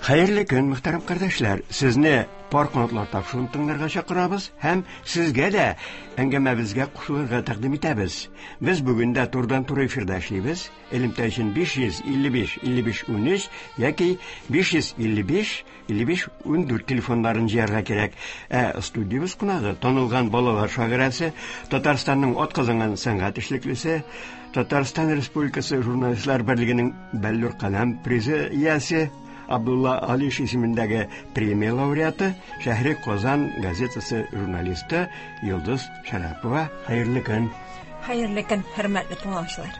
Хәерле көн, мөхтәрәм кардәшләр. Сезне пар канатлар тапшыруын тыңларга чакырабыз һәм сезгә дә әңгәмәбезгә кушылырга тәкъдим итәбез. Без бүген дә турыдан-туры эфирда эшлибез. Элемтә өчен 555 55 13 яки 555 55 14 телефоннарын җыярга кирәк. Ә студиябез кунагы танылган балалар шагыйрәсе, Татарстанның атказанган сәнгать эшлеклесе, Татарстан Республикасы журналистлар берлегенең Бәллүр каләм призы иясе, Абдулла Алиш исемендәге премия лауреаты, Шәһри Казан газетасы журналисты Йолдыз Шәрәпова. Хәерле көн. Хәерле көн, хөрмәтле тыңлаучылар.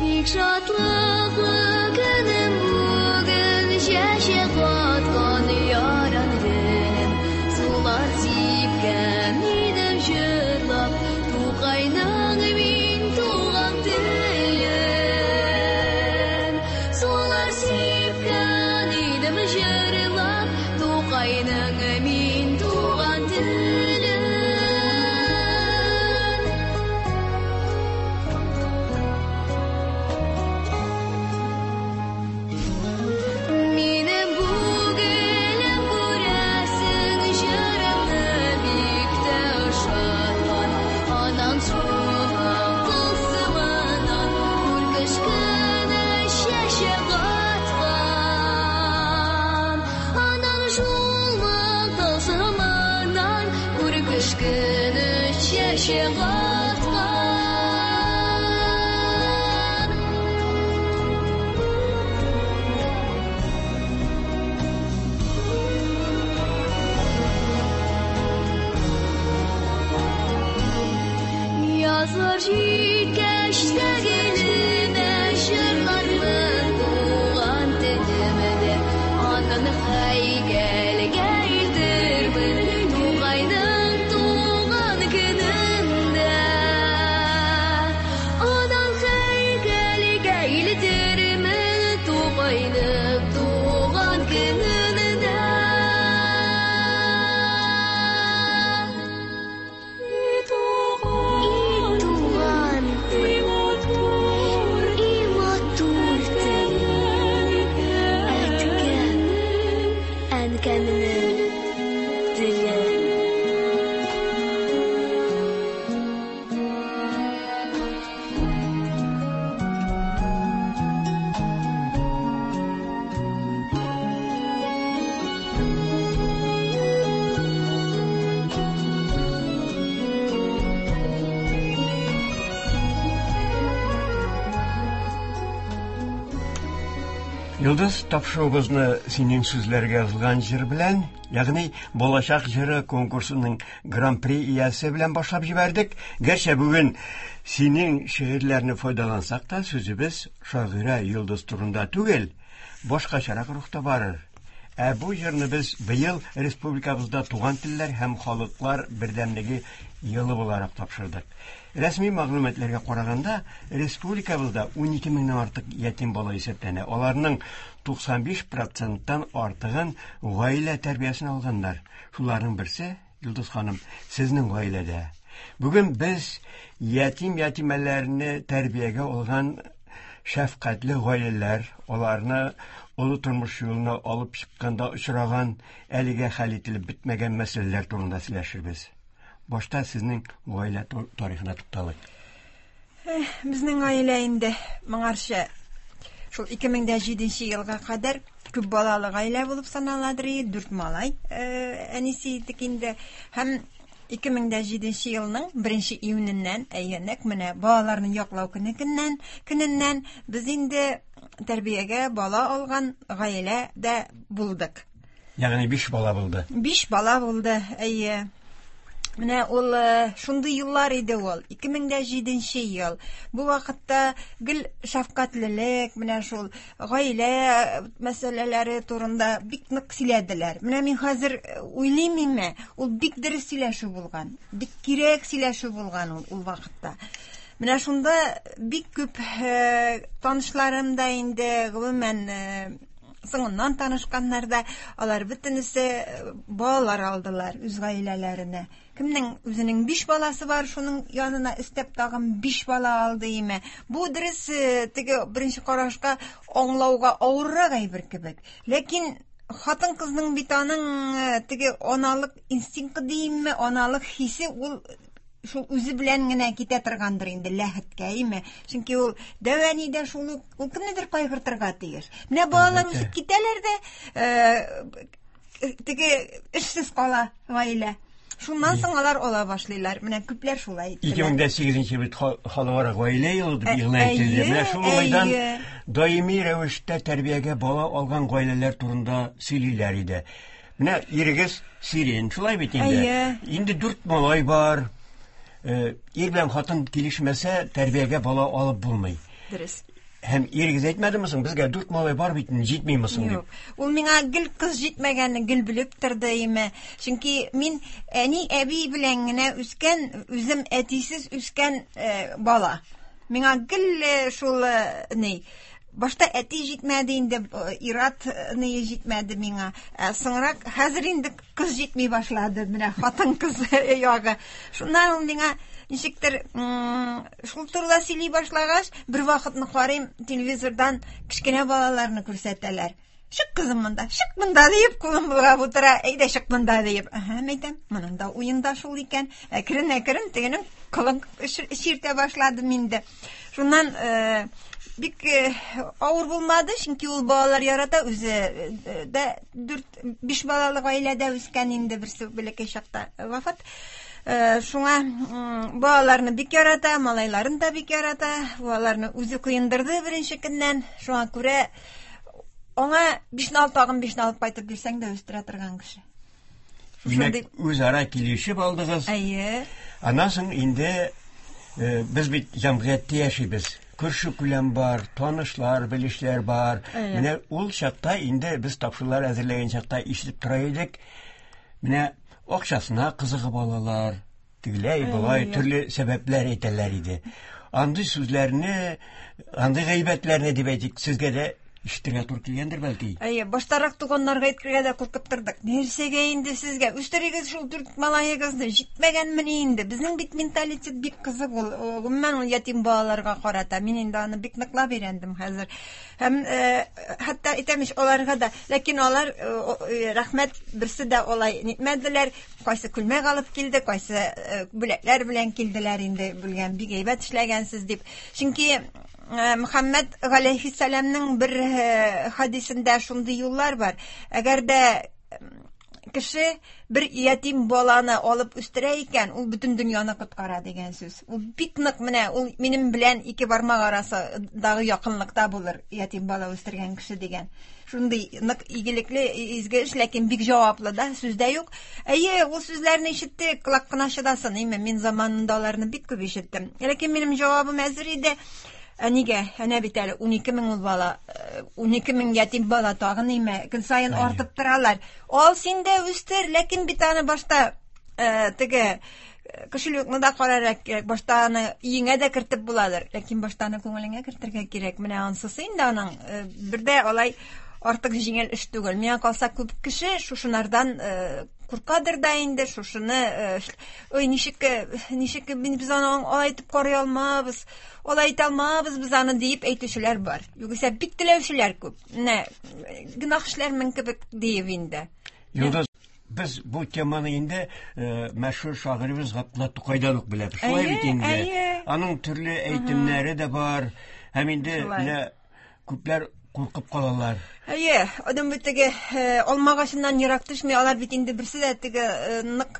Бик шатлыклы көнем бүген, чәчәк аткан яран гөлем, сулар сипкән идем җырлап, Тукайның мин туган телем. Сулар сипкән идем җырлап, Тукайның мин туган телем. Минем бу гөлем күрәсең, җырымны бик тә ошаткан. Анан шуның тылсымыннан күркеш кенә чәчәк аткан. Анан шулмак тылсымыннан күркеш кенә чәчәк аткан. Язлар җиткәч тә гелемә җырлармын туган телемдә. Аннан һәйкәлгә илтермен Тукайның туган көнендә. Аннан һәйкәлгә илтермен Тукайның туган көнендә. И туган, и матур, и матур телем, әткәм, әнкәмнең теле. Йолдыз, тапшыруыбызны синең сүзләргә язылган җыр белән, ягъни Балачак җыры конкурсының гран-при иясе белән башлап җибәрдек. Гәрчә бүген синең шигырьләрне файдалансак та, сүзебез шагыйрә Йолдыз турында түгел, башкачарак рухта барыр. Ә бу җырны без быел республикабызда туган телләр һәм халыклар бердәмлеге елы буларак тапшырдык. Рәсми мәгълүматларга караганда, республикабызда 12 меңнән артык ятим бала исәпләнә. Аларның 95 проценттан артыгын гаилә тәрбиясен алганнар. Шуларның берсе, Йолдыз ханым, сезнең гаиләдә. Бүген без ятим-ятимәләрне тәрбиягә алган шәфкатьле гаиләләр, аларны олы тормыш юлына алып чыкканда очраган әлегә хәл ителеп бетмәгән мәсьәләләр турында сөйләшербез. Башта сезнең гаилә тарихына тукталыйк. Безнең гаилә инде моңарчы шул 2007 елга кадәр күп балалы гаилә булып саналадыр иде. 4 малай әнисе идек инде. Һәм 2007 елның 1 июненнән, әйе, нәкъ менә балаларны яклау көне көненнән без инде тәрбиягә бала алган гаилә дә булдык. Ягъни 5 бала булды. 5 бала булды, әйе. Менә ул шундый еллар иде ул. 2007 ел. Бу вакытта гел шәфкатьлелек, менә шул гаилә мәсьәләләре турында бик нык сөйләделәр. Менә мин хәзер уйлыйм инде, ул бик дөрес сөйләшү булган, бик кирәк сөйләшү булган ул вакытта. Менә шунда бик күп танышларым да инде, гомумән, Соңыннан танышканнар да, алар бөтенесе балалар алдылар үз гаиләләренә. Кемнең үзенең 5 баласы бар, шуның янына өстәп тагын 5 бала алды име. Бу дөрес, теге беренче карашка аңлауга авыррак әйбер кебек. Ләкин хатын-кызның бит аның теге аналык инстинкты димме, аналык хисе ул шул үзе белән генә китә торгандыр инде ләхеткә, име? Чөнки ул дәү әни дә шул ук, ул кемнедер кайгыртырга тиеш. Менә балалар үсеп китәләр дә, теге эшсез кала гаилә. Шуннан соң алар ала башлыйлар. Менә күпләр шулай иттеләр. 2008 бит халыкара гаилә елы дип игълан ителде. Менә шул уңайдан даими рәвештә тәрбиягә бала алган гаиләләр турында сөйлиләр иде. Менә ирегез Сирин, шулай бит инде. Инде 4 малай бар. Ир белән хатын килешмәсә, тәрбиягә бала алып булмый. Дөрес. Һәм ирегез әйтмәдеме соң, безгә 4 малай бар бит, җитмиме соң дип? Юк. Ул миңа гел кыз җитмәгәнне гел белеп торды име. Чөнки мин әни, әби белән генә үскән, үзем әтисез үскән бала. Миңа гел шул ни, башта әти җитмәде инде, ират ни җитмәде миңа. Ә соңрак хәзер инде кыз җитми башлады, менә хатын-кыз ягы. Шуннан ул миңа ничектер шул турыда сөйли башлагач, бер вакытны карыйм, телевизордан кечкенә балаларны күрсәтәләр. Чык кызым монда, чык монда диеп, кулым болгап утыра, әйдә чык монда диеп. Әһә, әйтәм, моның да уенда шул икән. Әкрен-әкрен тегенең кылын чиртә башладым инде. Шуннан бик авыр булмады, чөнки ул балалар ярата, үзе дә 4-5 балалы гаиләдә үскән инде, берсе бәләкәй чакта вафат. Шуңа балаларны бик ярата, малайларын да бик ярата. Балаларны үзе коендырды беренче көннән. Шуңа күрә аңа 5-не алып, тагын 5-не алып кайтып бирсәң дә үстерә торган кеше. Димәк, үзара килешеп алдыгыз. Әйе. Аннан соң инде без бит җәмгыятьтә яшибез. Күрше күләм бар, танышлар, белешләр бар. Менә ул чакта инде без тапшырулар әзерләгән чакта ишетеп тора идек. Менә акчасына кызыгып алалар, тегеләй, болай төрле сәбәпләр әйтәләр иде. Андый сүзләрне, андый гайбәтләрне дип әйтик, сезгә дә ишетергә туры килгәндер бәлки. Әйе, баштарак туганнарга әйтергә дә куркып тордык. Нәрсәгә инде сезгә? Үстерегез шул 4 малаегызны, җитмәгәнмени инде? Безнең бит менталитет бик кызык ул. Гомумән ул ятим балаларга карата. Мин инде аны бик ныклап өйрәндем хәзер. Һәм хәтта әйтәм ич, аларга да, ләкин алар рәхмәт, берсе дә алай нитмәделәр. Кайсы күлмәк алып килде, кайсы бүләкләр белән килделәр инде, бүлгән бик әйбәт эшләгәнсез дип. Чөнки Мөхәммәд галәйһиссәламнең бер хадисендә шундый юллар бар. Әгәр дә кеше бер ятим баланы алып үстерә икән, ул бөтен дөньяны коткара дигән сүз. Ул бик нык менә ул минем белән ике бармак арасындагы якынлыкта булыр ятим бала үстергән кеше дигән. Шундый нык игелекле, изге эш, ләкин бик җаваплы да, сүз дә юк. Әйе, ул сүзләрне ишеттек, колак кына чыдасын, име, мин заманында аларны бик күп ишеттем. Ләкин минем җавабым әзер иде. Ә нигә? Әнә бит әле 12 мең ул бала, 12 мең ятим бала тагын име, көн саен артып торалар. Ал син дә үстер, ләкин бит аны башта теге кошелекны да карарга кирәк, башта аны өеңә дә кертеп буладыр, ләкин башта аны күңелеңә кертергә кирәк. Менә ансысы инде аның бер дә алай артык җиңел эш түгел. Миңа калса, күп кеше шушынардан куркадыр да инде, шушыны, ой, ничек, ничек без аны алай итеп карый алмабыз, алай итә алмабыз без аны диеп әйтүчеләр бар. Югыйсә бик теләүчеләр күп. Менә гөнаһ эшләрмен кебек диеп инде. Йолдыз, без бу теманы инде мәшһүр шагыйребез Габдулла Тукайдан ук беләбез. Шулай бит инде. Аның төрле әйтемнәре дә бар. Һәм инде менә күпләр куркып калалар. Әйе, адам бит теге алма агачыннан ерак төшми, алар бит инде берсе дә теге нык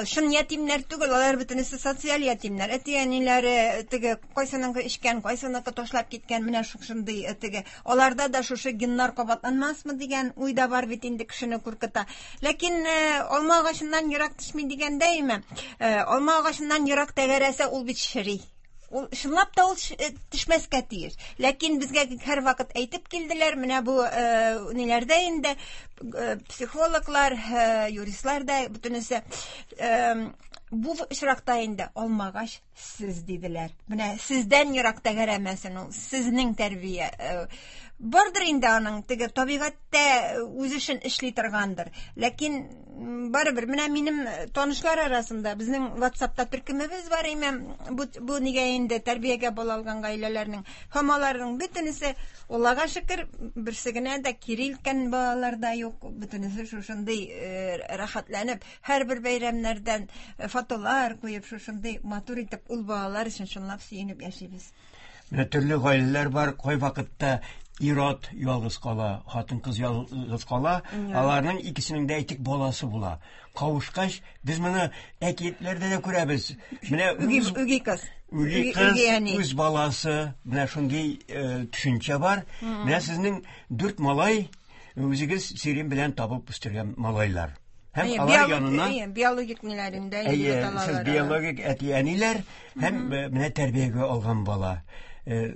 чын ятимнәр түгел, алар бөтенесе социаль ятимнәр. Әти-әниләре теге кайсыныңкы эчкән, кайсыныкы ташлап киткән, менә шушындый теге. Аларда да шушы геннар кабатланмасмы дигән уй да бар бит инде, кешене куркыта. Ләкин алма агачыннан ерак төшми дигәндәйме, алма агачыннан ерак тәгәрәсә, ул бит чери. Ул чынлап та ул төшмәскә тиеш. Ләкин безгә һәр вакыт әйтеп килделәр, менә бу ниләрдә инде психологлар, юристлар да бөтенесе бу очракта инде алмагач Сез диделәр. Менә сездән ерак тәгәрәмәсен ул, сезнең тәрбия. Бардыр инде аның теге табигатьтә үз эшен эшли торгандыр. Ләкин барыбер менә минем танышлар арасында безнең WhatsAppта төркемебез бар име, бу нигә инде тәрбиягә бала алган гаиләләрнең һәм аларның бөтенесе, Аллага шөкер, берсе генә дә кире илткән балалар да юк, бөтенесе шушындый рәхәтләнеп һәрбер бәйрәмнәрдән фотолар куеп, шушындый матур итеп ул балалар өчен чынлап сөенеп яшибез. Менә төрле гаиләләр бар, кайвакытта ир-ат ялгыз кала, хатын-кыз ялгыз кала, аларның икесенең дә әйтик баласы була. Кавышкач, без моны әкиятләрдә дә күрәбез. Менә үги кыз. Үги кыз, үз баласы, менә шундый төшенчә бар. Менә сезнең дүрт малай, үзегез Сирин белән табып үстергән малайлар. Һәм алар янына биологик ниләрендә Әйе, сез биологик әти-әниләр һәм менә тәрбиягә алган бала.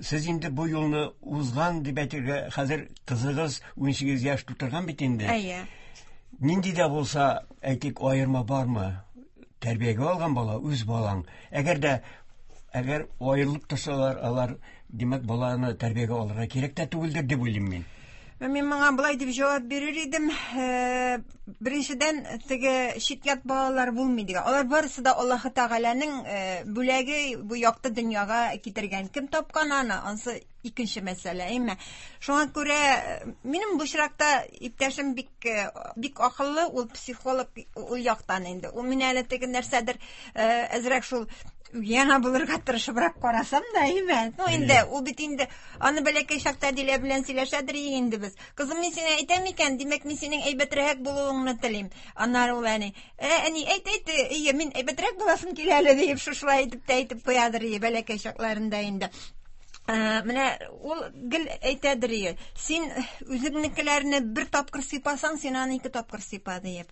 Сез инде бу юлны узган дип әйтергә, хәзер кызыгыз 18 яшь тутырган бит инде. Әйе. Нинди дә булса, әйтик, аерма бармы? Тәрбиягә алган бала үз балаң. Әгәр дә әгәр аерылып торсалар, алар, димәк, баланы тәрбиягә алырга кирәк тә түгелдер дип уйлыйм мин. Мин моңа болай дип җавап бирер идем. Беренчедән, теге чит-ят балалар булмый дигән. Алар барысы да Аллаһы Тәгаләнең бүләге, бу якты дөньяга китергән. Кем тапкан аны, ансы икенче мәсьәлә, әйме? Шуңа күрә минем бу очракта иптәшем бик бик акыллы, ул психолог ул яктан инде. Ул мине әле теге нәрсәдер әзрәк шул яна булырга тырышыбрак карасам да, әйме? Ну инде ул бит инде аны бәләкәй чакта Дилә белән сөйләшәдер инде без. Кызым, мин сиңа әйтәм икән, димәк, мин синең әйбәтрәк булуыңны телим. Аннары ул әни, әни, әйт, әйт, әйе, мин әйбәтрәк буласым килә әле, диеп шушылай итеп тә әйтеп куядыр, бәләкәй чакларында инде. Менә ул гел әйтәдер, ие, син үзеңнекеләрне бер тапкыр сыйпасаң, син аны ике тапкыр сыйпа, диеп.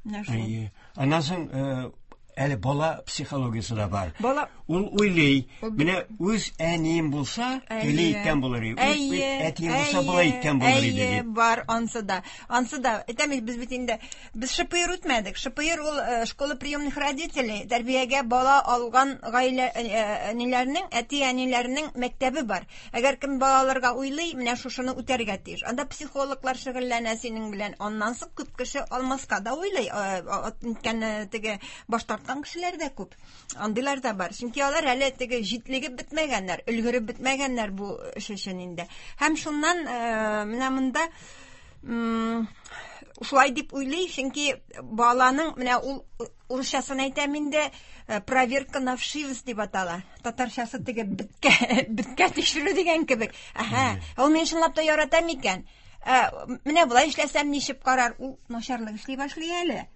Менә шул. Әйе. Аннан соң әле бала психологиясе дә бар. Бала ул уйлый, менә үз әнием булса, теле иткән булыр иде. Үз әтием булса, болай иткән булыр иде дип. Бар, ансы да. Ансы да. Әйтәм бит, без бит инде без ШПР үтмәдек. ШПР ул школа приемных родителей, тәрбиягә бала алган гаилә әниләрнең, әти-әниләрнең мәктәбе бар. Әгәр кем бала алырга уйлый, менә шушыны үтәргә тиеш. Анда психологлар шөгыльләнә синең белән. Аннан соң күп кеше алмаска да уйлый. Үткән теге баш тарткан кешеләр дә күп. Андыйлар да бар. Чөнки алар әле теге җитлегеп бетмәгәннәр, өлгереп бетмәгәннәр бу эш өчен инде. Һәм шуннан менә монда шулай дип уйлый, чөнки баланың менә ул урысчасын әйтәм инде, проверка на вшивость дип атала. Татарчасы теге беткә, беткә тикшерү дигән кебек. Әһә, ул мине чынлап та ярата микән? Менә болай эшләсәм ничек карар? Ул начарлык эшли башлый әле.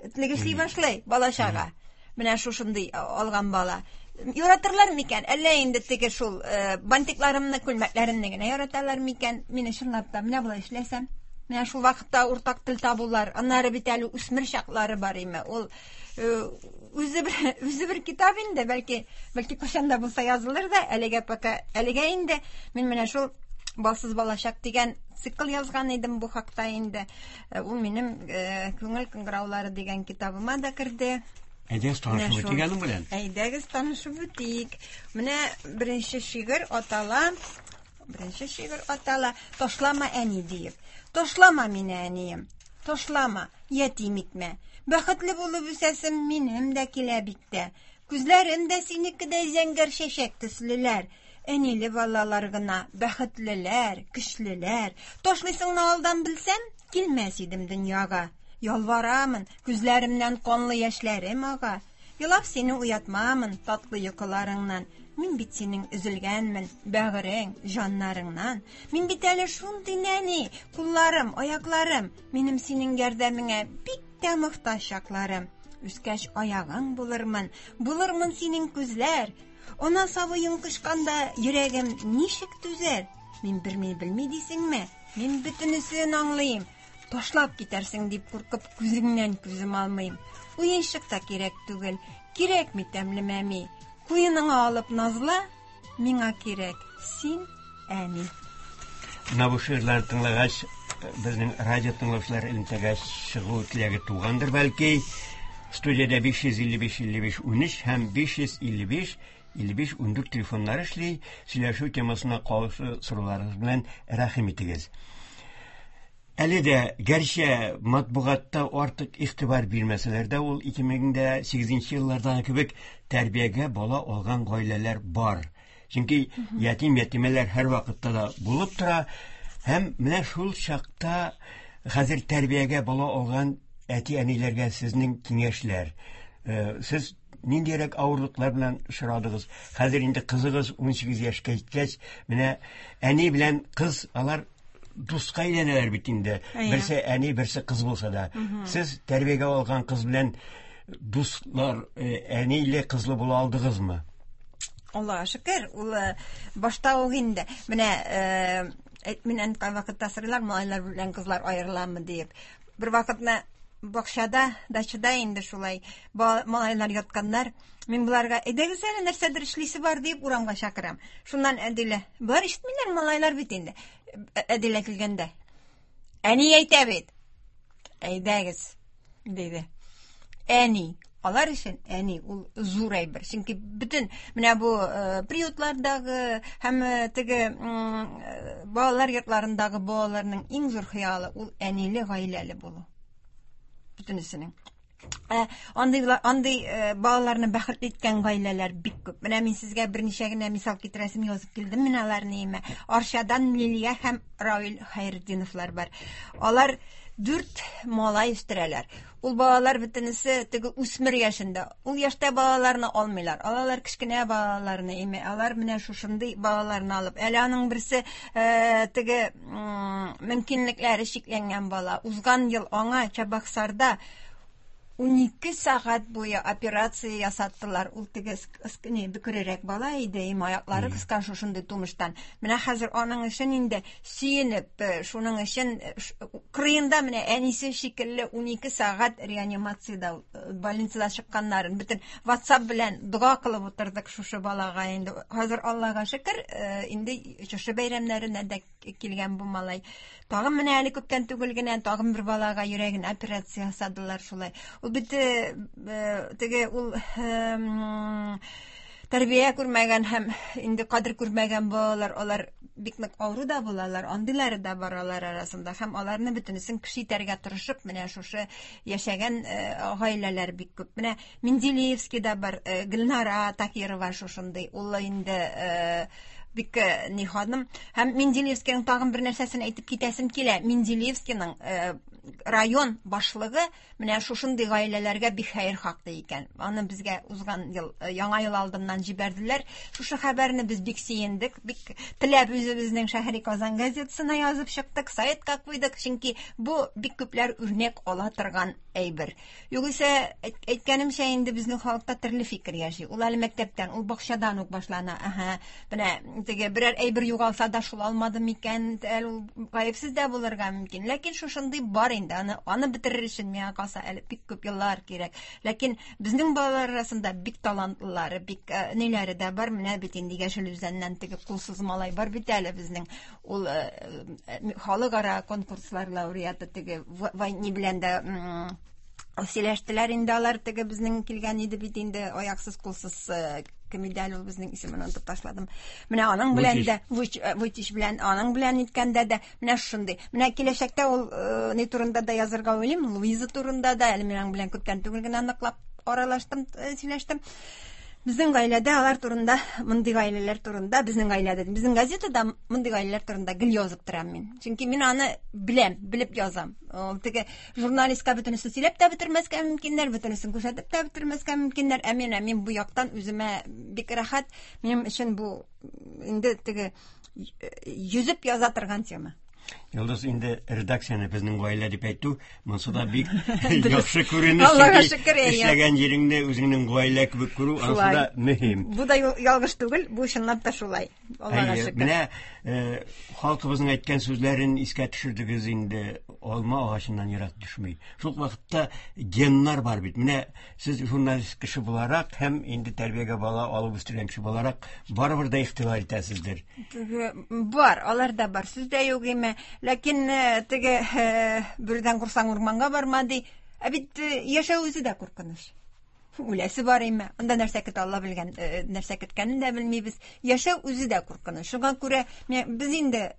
Этлек эшли башлый бала чага. Менә шушындый алган бала. Яратырлар микән? Әллә инде теге шул бантикларымны, күлмәкләремне генә яраталар микән? Мине чынлап та менә болай эшләсәм, менә шул вакытта уртак тел табулар. Аннары бит әле үсмер чаклары бар име. Ул үзе бер, үзе бер китап инде, бәлки, бәлки кайчан да булса язылыр да, әлегә пока, әлегә инде мин менә шул Балсыз балачак дигән цикл язган идем бу хакта инде. Ул минем Күңел кыңгыраулары дигән китабыма да керде. Әйдәгез танышып үтик аның белән. Әйдәгез танышып үтик. Менә беренче шигырь атала, беренче шигырь атала Ташлама әни диеп. Ташлама мине, әнием. Ташлама, ятим итмә. Бәхетле булып үсәсем минем дә килә бит тә. Күзләрем дә синекедәй зәңгәр чәчәк төслеләр. Әниле балалар гына бәхетлеләр, көчлеләр. Ташлыйсыңны алдан белсәм, килмәс идем дөньяга. Ялварамын, күзләремнән канлы яшьләрем ага. Елап сине уятмамын татлы йокыларыңнан. Мин бит синең өзелгәнмен, бәгырең, җаннарыңнан. Мин бит әле шундый нәни, кулларым, аякларым. Минем синең ярдәмеңә бик тә мохтаҗ чакларым. Үскәч аягың булырмын, булырмын синең күзләр. Ана сабыең кочканда йөрәгем ничек түзәр? Мин берни белми дисеңме? Мин бөтенесен аңлыйм. Ташлап китәрсең дип куркып күзеңнән күзем алмыйм. Уенчык та кирәк түгел, кирәкми тәмле мәми. Куеныңа алып назла, миңа кирәк син, әни. Менә бу шигырьләрне тыңлагач, безнең радио тыңлаучылар элемтәгә чыгу теләге тугандыр бәлки. Студиядә 555 55 13 һәм 555 55 14 телефоннары эшли. Сөйләшү темасына калышы сорауларыгыз белән рәхим итегез. Әле дә, гәрчә матбугатта артык игътибар бирмәсәләр дә, ул 2008 еллардагы кебек тәрбиягә бала алган гаиләләр бар. Чөнки ятим ятимәләр һәр вакытта да булып тора. Һәм менә шул чакта хәзер тәрбиягә бала алган әти-әниләргә сезнең киңәшләр. Сез ниндирәк авырлыклар белән очрадыгыз? Хәзер инде кызыгыз 18 яшькә җиткәч, менә әни белән кыз алар дуска әйләнәләр бит инде. Берсе әни, берсе кыз булса да. Сез тәрбиягә алган кыз белән дуслар, әниле кызлы була алдыгызмы? Аллаһка шөкер, ул башта ук инде. Менә миннән кайвакытта сорыйлар, малайлар белән кызлар аерыламы диеп. Бер вакытны бакчада, дачада инде шулай малайлар ятканнар. Мин боларга, әйдәгез әле, нәрсәдер эшлисе бар дип урамга чакырам. Шуннан Әдилә, болар ишетмиләр, малайлар бит инде. Әдилә килгәндә. Әни әйтә бит. Әйдәгез, диде. Әни. Алар өчен әни ул зур әйбер. Чөнки бөтен менә бу приютлардагы һәм теге балалар йортларындагы балаларның иң зур хыялы ул әниле гаиләле булу. Бөтенесенең. Андый балаларны бәхетле иткән гаиләләр бик күп. Менә мин сезгә берничә генә мисал китерәсем язып килдем мин аларны име. Арчадан Лилия һәм Равил Хәйретдиновлар бар. Алар 4 малай үстерәләр. Ул балалар бөтенесе теге үсмер яшендә. Ул яшьтә балаларны алмыйлар. Алалар кечкенә балаларны име. Алар менә шушындый балаларны алып. Әле аның берсе теге мөмкинлекләре чикләнгән бала. Узган ел аңа Чабаксарда 12 сәгать буе операция ясаттылар. Ул теге бөкрерәк бала иде, им аяклары кыска шушындый тумыштан. Менә хәзер аның өчен инде сөенеп, шуның өчен кырыенда менә әнисе шикелле 12 сәгать реанимациядә, больницада чыкканнарын бөтен WhatsApp белән дога кылып утырдык шушы балага инде. Хәзер Аллага шөкер, инде шушы бәйрәмнәренә дә килгән бу малай. Тагын менә әле күптән түгел генә тагын бер балага йөрәген операция ясадылар шулай. Ул бит теге ул тәрбия күрмәгән һәм инде кадер күрмәгән балалар, алар бик нык авыру да булалар, андыйлары да бар алар арасында һәм аларны бөтенесен кеше итәргә тырышып менә шушы яшәгән гаиләләр бик күп. Менә Менделеевскийда бар Гөлнара Такирова шушындый. Ул инде бик ни ханым. Һәм Менделеевскийның тагын бер нәрсәсен әйтеп китәсем килә. Менделеевскийның район башлыгы менә шушындый гаиләләргә бик хәерхак ди икән. Аны безгә узган ел, яңа ел алдыннан җибәрделәр. Шушы хәбәрне без бик сөендек, бик теләп үзебезнең Шәһри Казан газетасына язып чыктык, сайтка куйдык, чөнки бу бик күпләр үрнәк ала торган әйбер. Югыйсә, әйткәнемчә, инде безнең халыкта төрле фикер яши. Ул әле мәктәптән, ул бакчадан ук башлана. Аһа, менә теге берәр әйбер югалса да шул алмады микән, әле ул гаепсез дә булырга мөмкин. Ләкин шушындый бар инде, аны бетерер өчен миңа калса әле бик күп еллар кирәк. Ләкин безнең балалар арасында бик талантлылары, бик ниләре дә бар. Менә бит инде Яшел Үзәннән теге кулсыз малай бар бит әле безнең. Ул халыкара конкурслар лауреаты теге ни белән дә сөйләштеләр инде алар, теге безнең килгән иде бит инде аяксыз кулсыз кем иде әле ул безнең, исемен онытып ташладым. Менә аның белән дә, Вуйчич белән, аның белән иткәндә дә менә шундый. Менә киләчәктә ул ни турында да язырга уйлыйм, Луиза турында да, әле мин аның белән күптән түгел генә ныклап аралаштым, сөйләштем. Безнең гаиләдә алар турында, мондый гаиләләр турында, безнең гаиләдә, безнең газетада мондый гаиләләр турында гел язып торам мин. Чөнки мин аны беләм, белеп язам. Ул теге журналистка бөтенесен сөйләп тә бетермәскә мөмкиннәр, бөтенесен күрсәтеп тә бетермәскә мөмкиннәр. Ә мин бу яктан үземә бик рәхәт. Минем өчен бу инде теге йөзеп яза торган тема. Йолдыз, инде редакцияне безнең гаилә дип әйтү, монсы да бик яхшы күренеш. Аллага шөкер, әйе. Эшләгән җиреңне үзеңнең гаилә кебек күрү, ансы да мөһим. Бу да ялгыш түгел, бу чынлап та шулай. Аллага шөкер. Менә халкыбызның әйткән сүзләрен искә төшердегез инде, алма агачыннан ерак төшми. Шул вакытта геннар бар бит. Менә сез журналист кеше буларак һәм инде тәрбиягә бала алып үстергән кеше буларак барыбер дә игътибар итәсездер. Теге бар, алар да бар, сүз дә юк име. Ләкин теге бүрдән курсаң урманга барма ди. Ә бит яшәү үзе дә куркыныч. Үләсе бар име? Анда нәрсә көтә, Алла белгән, нәрсә көткәнен дә белмибез. Яшәү үзе дә куркыныч. Шуңа күрә без инде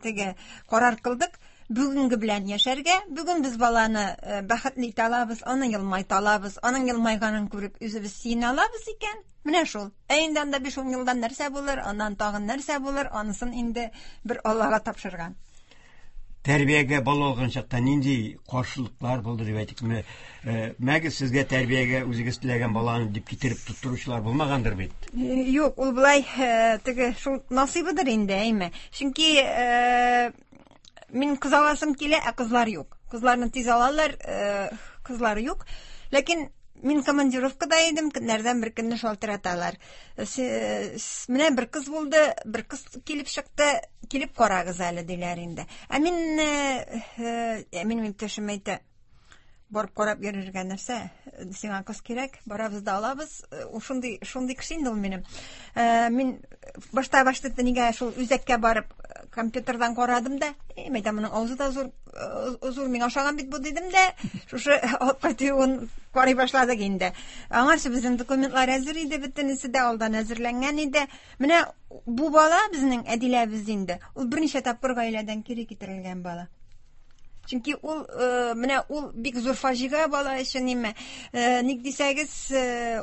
теге карар кылдык, бүгенге белән яшәргә. Бүген без баланы бәхетле итә алабыз, аны елмайта алабыз, аның елмайганын күреп үзебез сөенә алабыз икән. Менә шул. Ә инде анда 5-10 елдан нәрсә булыр, аннан тагын нәрсә булыр, анысын инде бер Аллага тапшырган. Тәрбиягә бала алган чакта нинди каршылыклар булды дип әйтикме? Мәгез сезгә тәрбиягә үзегез теләгән баланы дип китереп тоттыручылар булмагандыр бит? Юк, ул болай теге шул насыйбыдыр инде, әйме. Чөнки мин кыз аласым килә, ә кызлар юк. Кызларны тиз алалар, кызлар юк. Ләкин мин командировкада идем, көннәрдән бер көнне шалтыраталар. Менә бер кыз булды, бер кыз килеп чыкты, килеп карагыз әле, диләр инде. Ә мин, минем иптәшем әйтә, барып карап йөрергә нәрсә, сиңа кыз кирәк, барабыз да алабыз. Ул шундый, шундый кеше инде ул минем. Мин башта башта нигә шул үзәккә барып компьютердан карадым да, мәйтәм, моның авызы да зур, зур, миңа ошаган бит бу дидем дә, шушы алып кайтуын карый башладык инде. Аңарчы безнең документлар әзер иде, бөтенесе дә алдан әзерләнгән иде. Менә бу бала безнең Әдиләбез инде. Ул берничә тапкыр гаиләдән кире китерелгән бала. Чөнки ул менә ул бик зур фаҗига бала өчен име. Ник дисәгез,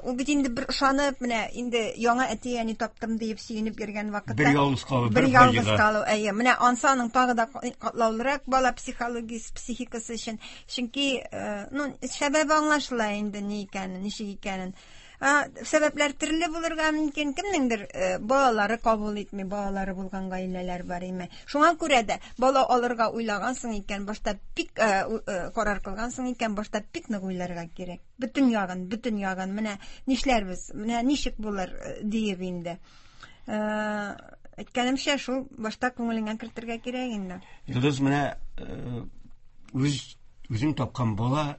ул бит инде бер ышанып, менә инде яңа әти-әни таптым диеп сөенеп йөргән вакытта. Бер ялгыз калу, бер ялгыз калу, әйе. Менә ансы аның тагы да катлаулырак бала психологиясе, психикасы өчен. Чөнки, ну, сәбәбе аңлашыла инде ни икәнен, ничек икәнен. Сәбәпләр төрле булырга мөмкин. Кемнеңдер балалары кабул итми, балалары булган гаиләләр бар име. Шуңа күрә дә бала алырга уйлагансың икән, башта бик карар кылгансың икән, башта бик нык уйларга кирәк. Бөтен ягын, бөтен ягын. Менә нишләрбез, менә ничек булыр диеп инде. Әйткәнемчә, шул башта күңелеңә кертергә кирәк инде. Йолдыз, менә үзең тапкан бала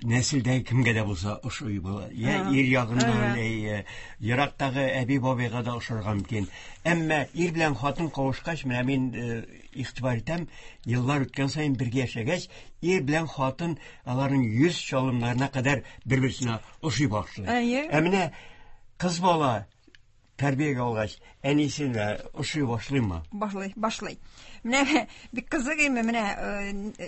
нәселдәге кемгә дә булса ошый була. Я ир ягыннан, ерактагы әби-бабайга да ошарга мөмкин. Әмма ир белән хатын кавышкач, менә мин игътибар итәм, еллар үткән саен бергә яшәгәч, ир белән хатын аларның йөз чалымнарына кадәр бер-берсенә ошый башлый. Ә менә кыз бала тәрбиягә алгач, әнисенә ошый башлыймы? Башлый, башлый. Менә бик кызык име, менә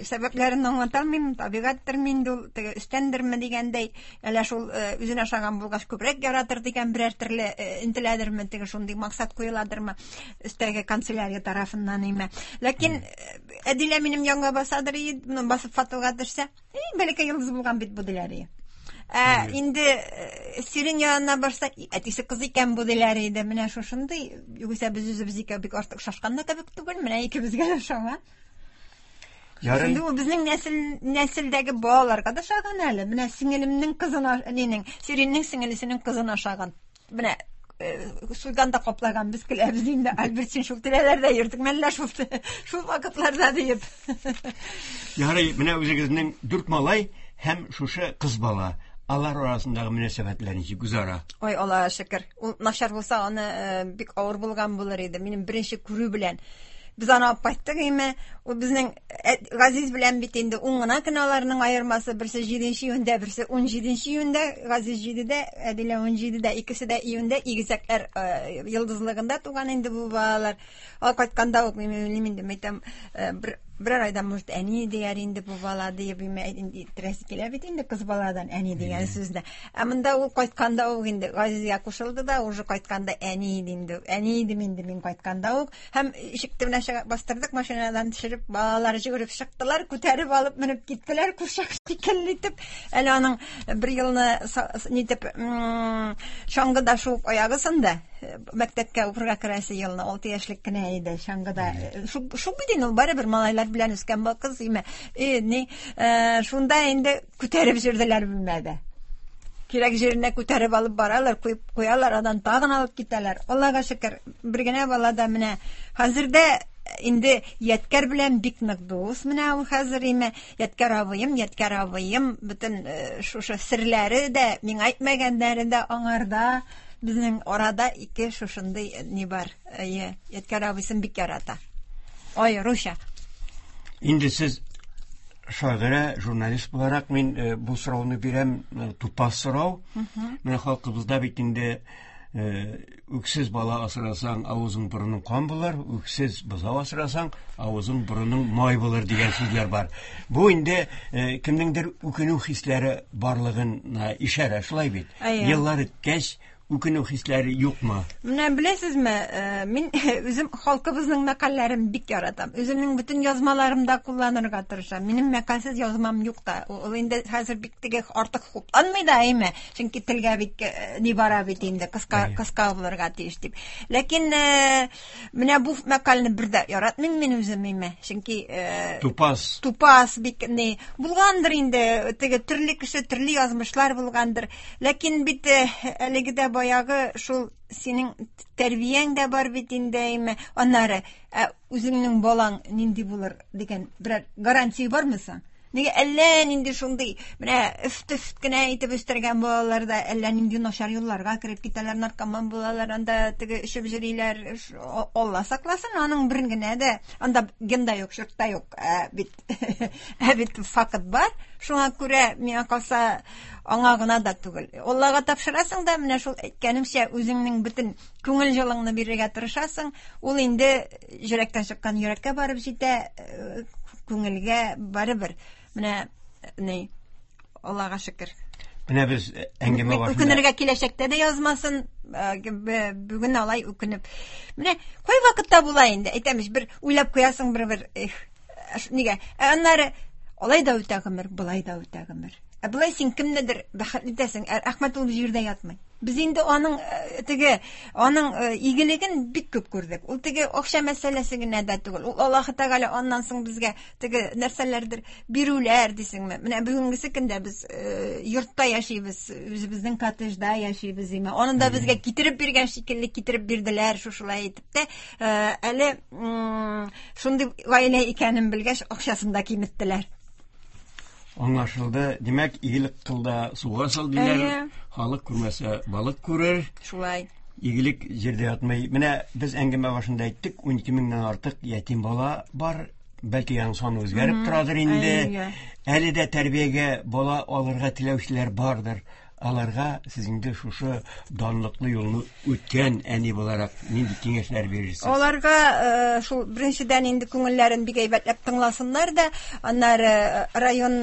сәбәпләрен аңлата алмыйм, табигатьтер инде ул, теге өстәндерме дигәндәй, әллә шул үзенә ошаган булгач күбрәк яратыр дигән берәр төрле интеләдерме, теге шундый максат куеладырмы өстәге канцелярия тарафыннан име. Ләкин Әдилә минем янга басадыр, басып фотога төшсә, бәләкәй йолдыз булган бит бу диләр. Инде Сирин янына барса, әтисе кыз икән бу диләр иде. Менә шушындый, югыйсә без үзебез икәү бик артык шашкан да кебек түгел, менә икебезгә дә ошаган. Инде ул безнең нәселдәге балаларга да ошаган әле. Менә сеңелемнең кызына, нинең, Сириннең сеңелесенең кызына ошаган. Менә суйганда каплаган, без көләбез инде. Альберт, син шул тирәләрдә йөрдең мәллә шул вакытларда диеп. Ярый, менә үзегезнең 4 малай һәм шушы кыз бала. Алар арасындагы мөнәсәбәтләр ничек үзара? Ой, Аллага шөкер. Ул начар булса, аны бик авыр булган булыр иде. Минем беренче күрү белән. Без аны алып кайттык име? Ул безнең Газиз белән бит инде 10 гына көн аларның аермасы, берсе 7 июньдә, берсе 17 июньдә. Газиз 7-дә, Әдилә 17-дә, икесе дә июньдә, игезәкләр йолдызлыгында туган инде бу балалар. Ал кайтканда ук мин уйлыйм инде, мәйтәм, берәр айдан, может, әни дияр инде бу бала диеп, инде әйттерәсе килә бит инде кыз баладан әни дигән сүзне. Ә монда ул кайтканда ук инде Газизгә кушылды да, уже кайтканда әни иде инде. Әни идем инде мин кайтканда ук. Һәм ишек төбенә чыгып бастырдык, машинадан төшереп, балалар йөгереп чыктылар, күтәреп алып менеп киттеләр, курчак шикелле итеп. Әле аның бер елны нитеп, чаңгыда шуып аягы сынды. Мәктәпкә укырга керәсе елны 6 яшьлек кенә иде чаңгыда. Шул бит инде ул барыбер малайлар белән үскән бу кыз име. Ни, шунда инде күтәреп йөрделәр бүлмәдә. Кирәк җиренә күтәреп алып баралар, куеп куялар, аннан тагын алып китәләр. Аллага шөкер, бер генә бала да менә хәзер дә инде Ядкәр белән бик нык дус менә ул хәзер име. Ядкәр абыем, Ядкәр абыем, бөтен шушы серләре дә, миңа әйтмәгәннәре дә аңарда. Безнең арада ике шушындый ни бар. Әйе, Ядкәр абыйсын бик ярата. Ай, Руша. Инде сез Шагыйрә, журналист буларак мин бу сорауны бирәм, тупас сорау. Менә халкыбызда бит инде үксез бала асрасаң, авызың борының кан булыр, үксез бозау асрасаң, авызың борының май булыр дигән сүзләр бар. Бу инде кемнеңдер үкенү хисләре барлыгына ишарә, шулай бит? Еллар үткәч, үкенү хисләре юкмы? Менә беләсезме, мин үзем халкыбызның мәкальләрен бик яратам. Үземнең бөтен язмаларымда кулланырга тырышам. Минем мәкальсез язмам юк та. Ул инде хәзер бик теге артык хупланмый да, әйме? Чөнки телгә бик ни бара бит инде, кыска кыска булырга тиеш дип. Ләкин менә бу мәкальне бер дә яратмыйм мин үзем, әйме? Чөнки тупас. Тупас бик ни булгандыр инде, теге төрле кеше, төрле язмышлар булгандыр. Ләкин бит әлеге дә баягы шул синең тәрбияң дә бар бит инде, әйме. Аннары, ә үзеңнең балаң нинди булыр дигән берәр гарантия бармы соң? Нигә әллә нинди шундый, менә өф-төф кенә итеп үстергән балалар да әллә нинди начар юлларга кереп китәләр, наркоман булалар, анда теге эчеп йөриләр. Алла сакласын, аның бер генә дә, анда ген да юк, чорт та юк. Ә бит, ә бит факт бар. Шуңа күрә, миңа калса, аңа гына да түгел. Аллага тапшырасың да, менә шул әйткәнемчә, үзеңнең бөтен күңел җылыңны бирергә тырышасың. Ул инде йөрәктән чыккан йөрәккә барып җитә, күңелгә барыбер. Менә ни, Аллага шөкер. Менә без әңгәмә башында үкенергә киләчәктә дә язмасын, бүген алай үкенеп. Менә кай вакытта була инде, әйтәм ич, бер уйлап куясың бер-бер, эх, нигә? Ә аннары алай да үтә гомер, болай да үтә гомер. Ә болай син кемнедер бәхетле итәсең, ә Әхмәт ул җирдә ятмый. Без инде аның теге, аның игелеген бик күп күрдек. Ул теге акча мәсьәләсе генә дә түгел. Ул Аллаһы Тәгалә аннан соң безгә теге нәрсәләрдер бирүләр дисеңме? Менә бүгенгесе көндә без йортта яшибез, үзебезнең коттеджда яшибез име. Аны да безгә китереп биргән шикелле китереп бирделәр, шушылай итеп тә. Әле шундый гаилә икәнен белгәч, акчасын да киметтеләр. Аңлашылды. Димәк, игелек кыл да суга сал диләр. Халык күрмәсә, балык күрер. Шулай. Игелек җирдә ятмый. Менә без әңгәмә башында әйттек, 12 меңнән артык ятим бала бар. Бәлки аның саны үзгәреп торадыр инде. Әле дә тәрбиягә бала алырга теләүчеләр бардыр. Аларга сез инде шушы данлыклы юлны үткән әни буларак нинди киңәшләр бирерсез? Аларга шул беренчедән инде күңелләрен бик әйбәтләп тыңласыннар да, аннары район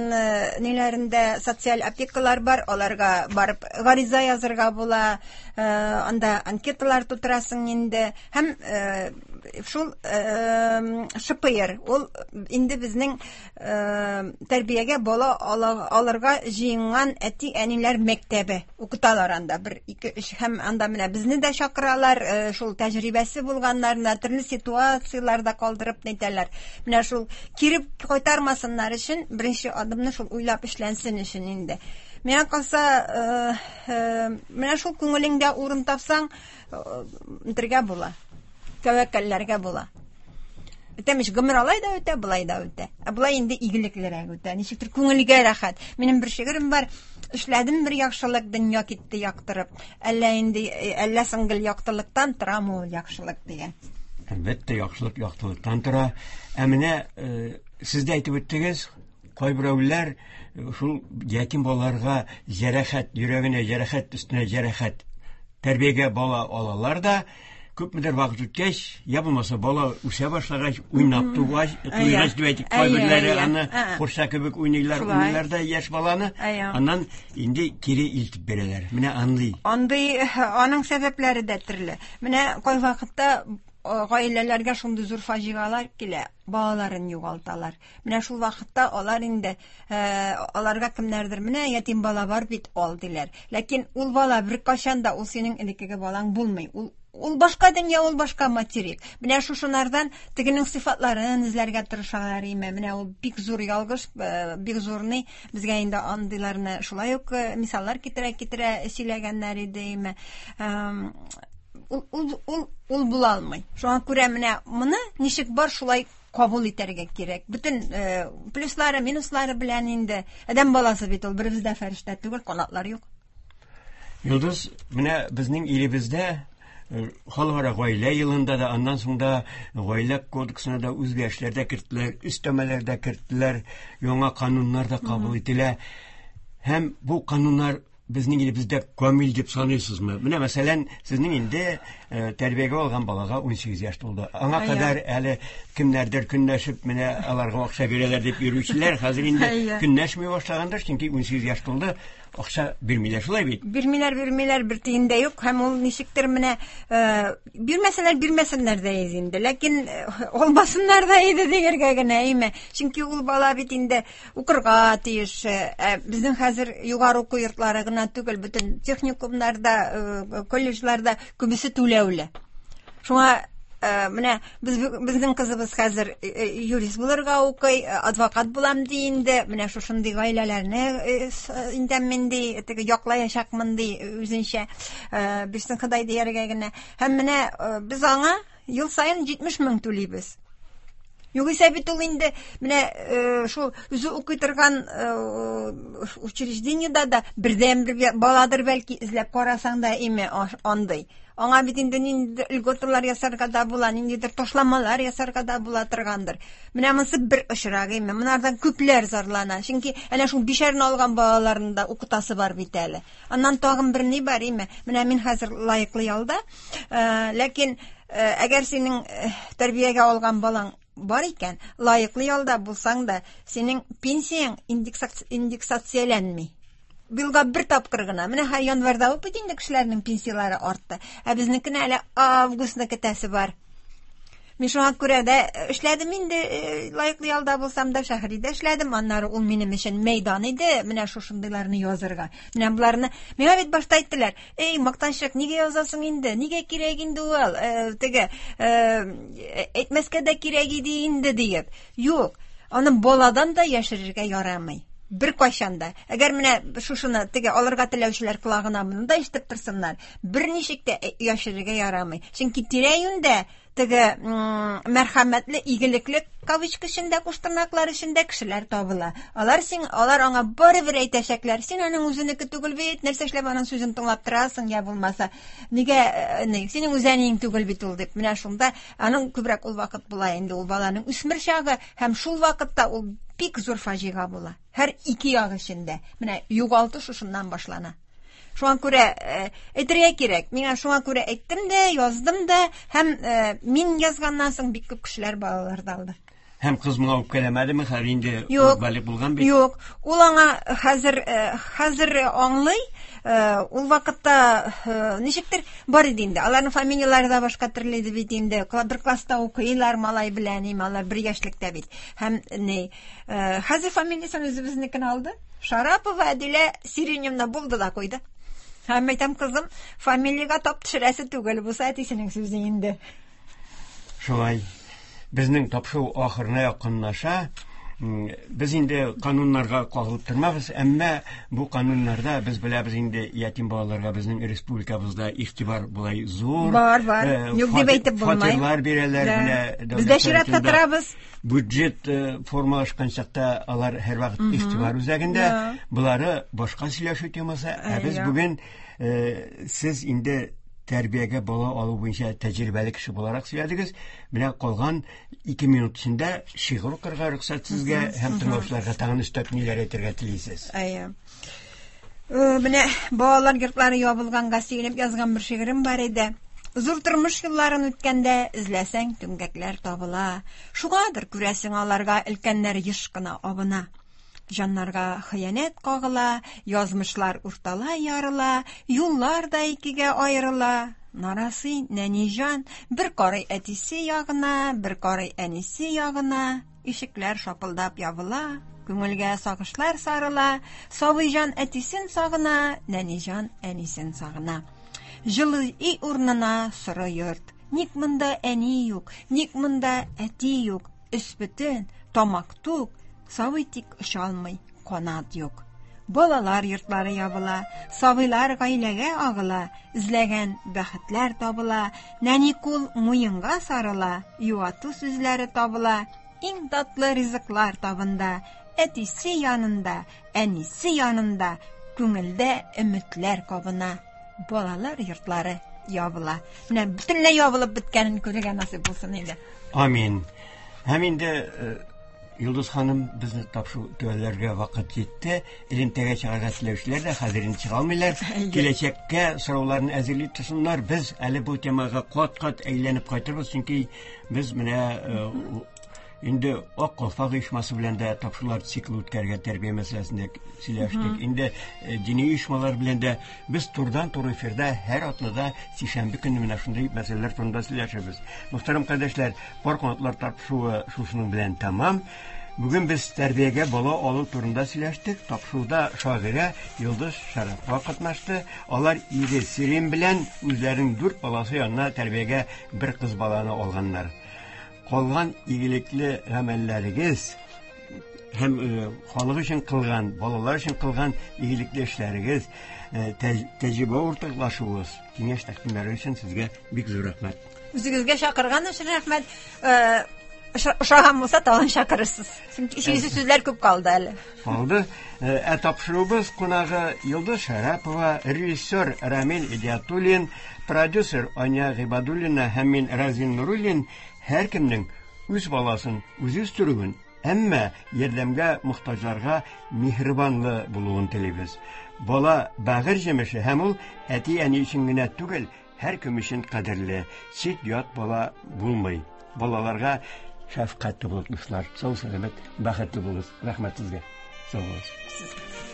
ниләрендә социаль опекалар бар, аларга барып гариза язырга була, анда анкеталар тутырасың инде. Һәм шул ШПР, ул инде безнең тәрбиягә бала алырга җыенган әти-әниләр мәктәбе укыталар анда 1, 2, 3 һәм анда менә безне дә чакыралар, шул тәҗрибәсе булганнарны төрле ситуацияләрдә калдырып әйтәләр. Менә шул кире кайтармасыннар өчен беренче адымны шул уйлап эшләнсен өчен инде. Миңа калса, менә шул күңелеңдә урын тапсаң, бергә була. Тәвәккәлләргә була. Үтәмеш, гомер алай да үтә, былай да үтә. Ә былай инде игелеклерәк үтә. Ничектер күңелгә рәхәт. Минем бер шигырем бар. Эшләдем бер яхшылык, дөнья китте яктырып. Әллә инде, әллә соң гел яктылыктан торамы ул яхшылык дигән. Әлбәттә, яхшылык яктылыктан тора. Ә менә сез дә әйтеп үттегез, кайберәүләр шул ятим балаларга җәрәхәт, йөрәгенә җәрәхәт өстенә җәрәхәт тәрбиягә бала алалар да, күпмедер вакыт үткәч, я булмаса бала үсә башлагач, уйнап тугач, туйгач дип әйтик, кайберләре аны курчак кебек уйныйлар, уйныйлар да яшь баланы, аннан инде кире илтеп бирәләр. Менә андый. Андый, аның сәбәпләре дә төрле. Менә кайвакытта гаиләләргә шундый зур фаҗигалар килә, балаларын югалталар. Менә шул вакытта алар инде, аларга кемнәрдер, менә ятим бала бар бит, ал диләр. Ләкин ул бала беркайчан да ул синең элеккеге балаң булмый. Ул башка дөнья, ул башка материк. Менә шушынардан тегенең сыйфатларын эзләргә тырышалар име. Менә ул бик зур ялгыш, бик зур ни. Безгә инде андыйларны шулай ук мисаллар китерә-китерә сөйләгәннәр иде име. Ул була алмый. Шуңа күрә менә моны ничек бар шулай кабул итәргә кирәк. Бөтен плюслары, минуслары белән инде. Адәм баласы бит ул, беребез дә фәрештә түгел, канатлар юк. Йолдыз, менә безнең илебездә Халыкара гаилә елында да, аннан соң да гаилә кодексына да үзгәрешләр дә керттеләр, өстәмәләр дә керттеләр, яңа кануннар да кабул ителә. Һәм бу кануннар безнең илебездә камил дип саныйсызмы? Менә мәсәлән, сезнең инде тәрбиягә алган балага 18 яшь тулды. Аңа кадәр әле кемнәрдер көнләшеп, менә аларга акча бирәләр дип йөрүчеләр хәзер инде көнләшми башлагандыр, чөнки 18 яшь тулды, акча бирмиләр, шулай бит? Бирмиләр, бирмиләр, бер тиен дә юк. Һәм ул ничектер менә бирмәсәләр, бирмәсеннәр дә иде инде. Ләкин алмасыннар да иде дияргә генә, әйме? Чөнки ул бала бит инде укырга тиеш. Ә безнең хәзер югары уку йортлары гына түгел, бөтен техникумнарда, колледжларда күбесе түләүле. Шуңа менә без безнең кызыбыз хәзер юрист булырга укый, адвокат булам ди инде. Менә шушындый гаиләләрне инде мин ди, теге яклаячакмын ди үзенчә. Бирсен Ходай дияргә генә. Һәм менә без аңа ел саен 70 мең түлибез. Югыйсә бит ул инде менә шул үзе укый торган учреждениедә дә бердәнбер баладыр бәлки, эзләп карасаң да име андый. Аңа бит инде ниндидер льготалар ясарга да була, ниндидер ташламалар ясарга да була торгандыр. Менә монысы бер очрак име. Монардан күпләр зарлана. Чөнки әнә шул бишәрне алган балаларны да укытасы бар бит әле. Аннан тагын бер ни бар име? Менә мин хәзер лаеклы ялда. Ләкин әгәр синең тәрбиягә алган балаң бар икән, лаеклы ялда булсаң да, синең пенсияң индексацияләнми. Елга бер тапкыр гына. Менә һәр январьда ук бит инде кешеләрнең пенсияләре артты. Ә безнекенә әле августны көтәсе бар. Мин шуңа күрә дә эшләдем инде, лаеклы ялда булсам да, шәһәрдә эшләдем. Аннары ул минем өчен мәйдан иде, менә шушындыйларны язырга. Менә боларны миңа бит башта әйттеләр: "Эй, мактанчык, нигә язасың инде? Нигә кирәк инде ул? Теге, әйтмәскә дә кирәк иде инде" диеп. Юк, аны баладан да яшерергә ярамый. Бер кайчан да. Әгәр менә шушыны теге алырга теләүчеләр колагына моны да ишетеп торсыннар, берничек тә яшерергә ярамый. Чөнки тирә-юньдә теге мәрхәмәтле, игелекле кавычка эчендә, куштырнаклар эчендә кешеләр табыла. Алар син, алар аңа барыбер әйтәчәкләр. Син аның үзенеке түгел бит, нәрсә эшләп аның сүзен тыңлап торасың, я булмаса, нигә, ни, синең үз әниең түгел бит ул дип. Менә шунда аның күбрәк ул вакыт була инде ул баланың үсмер чагы, һәм шул вакытта ул бик зур фаҗига була. Һәр ике як эчендә. Менә югалту шушыннан башлана. Шуңа күрә әйтергә кирәк. Миңа шуңа күрә әйттем дә, яздым да, һәм мин язганнан соң бик күп кешеләр балалар да алды. Һәм кыз моңа үпкәләмәдеме? Хәзер инде ул балигъ булган бит. Юк, ул аңа хәзер хәзер аңлый. Ул вакытта ничектер бар иде инде. Аларның фамилияләре дә башка төрле иде бит инде. Бер класста укыйлар малай белән, им алар бер яшьлектә бит. Һәм ни, хәзер фамилиясен үзебезнекен алды. Шарапова Әдилә Сириневна булды да куйды. Һәм әйтәм, кызым, фамилиягә тап төшерәсе түгел, бусы әтисенең сүзе инде. Шулай. Безнең тапшыру ахырына якынлаша. Без инде кануннарга кагылып тормабыз, әмма бу кануннарда без беләбез инде ятим балаларга безнең республикабызда игътибар болай зур. Бар, бар. Юк дип әйтеп булмый. Фатирлар бирәләр, менә Без дә чиратта торабыз. Бюджет формалашкан чакта алар һәрвакыт игътибар үзәгендә. Болары башка сөйләшү темасы. Ә без бүген сез инде тәрбиягә бала алу буенча тәҗрибәле кеше буларак сөйләдегез. Менә калган 2 минут эчендә шигырь укырга рөхсәт сезгә һәм тыңлаучыларга тагын өстәп ниләр әйтергә телисез? Әйе. Менә балалар йортлары ябылганга сөенеп язган бер шигырем бар иде. Зур тормыш юлларын үткәндә эзләсәң түмгәкләр табыла. Шуңадыр күрәсең аларга өлкәннәр еш кына абына. Җаннарга хыянәт кагыла, язмышлар урталай ярыла, юллар да икегә аерыла. Нарасый нәни җан бер карый әтисе ягына, бер карый әнисе ягына. Ишекләр шапылдап ябыла, күңелгә сагышлар сарыла. Сабый җан әтисен сагына, нәни җан әнисен сагына. Җылы өй урынына соры йорт. Ник монда әни юк, ник монда әти юк? Өс бөтен, тамак тук, сабый тик оча алмый, канат юк. Балалар йортлары ябыла, сабыйлар гаиләгә агыла, эзләгән бәхетләр табыла, нәни кул муенга сарыла, юату сүзләре табыла, иң татлы ризыклар табында, әтисе янында, әнисе янында, күңелдә өметләр кабына. Балалар йортлары ябыла. Менә бөтенләй ябылып беткәнен күрергә насыйп булсын инде. Амин. Һәм инде э, Йолдыз ханым безне тапшыру төгәлләргә вакыт җитте. Элемтәгә чыгарга теләүчеләр дә хәзер инде чыга алмыйлар. Киләчәккә сорауларын әзерли торсыннар. Без әле бу темага кат-кат әйләнеп кайтырбыз, чөнки без менә э, инде Ак калфак оешмасы белән дә тапшырулар циклы үткәрергә тәрбия мәсьәләсендә сөйләштек. Инде э, дини оешмалар белән дә без турыдан-туры эфирда һәр атнада сишәмбе көнне менә шундый мәсьәләләр турында сөйләшәбез. Мөхтәрәм кардәшләр, Пар канатлар тапшыруы шушының белән тәмам. Бүген без тәрбиягә бала алу турында сөйләштек. Тапшыруда шагыйрә Йолдыз Шәрәпова катнашты. Алар ире Сирин белән үзләренең дүрт баласы янына тәрбиягә бер кыз баланы алганнар. Калган игелекле гамәлләрегез һәм э, халык өчен кылган, балалар өчен кылган игелекле эшләрегез, э, тәҗрибә уртаклашуыгыз, киңәш тәкъдимнәре өчен сезгә бик зур рәхмәт. Үзегезгә чакырган өчен рәхмәт. Э, ошаган булса, тагын чакырырсыз. Чөнки сөйлисе сүзләр күп калды әле. Калды. Ә тапшыруыбыз кунагы Йолдыз Шәрәпова, режиссер Рамил Идиатуллин, продюсер Аня Гыйбадуллина һәм мин Разил Нуруллин һәркемнең үз баласын үзе үстерүен, әмма ярдәмгә мохтаҗларга миһербанлы булуын телибез. Бала бәгырь җимеше һәм ул әти-әни өчен генә түгел, һәркем өчен кадерле. Чит-ят бала булмый. Балаларга шәфкатьле булыйк, дуслар. Сау сәламәт, бәхетле булыгыз. Рәхмәт сезгә. Сау булыгыз. Сезгә.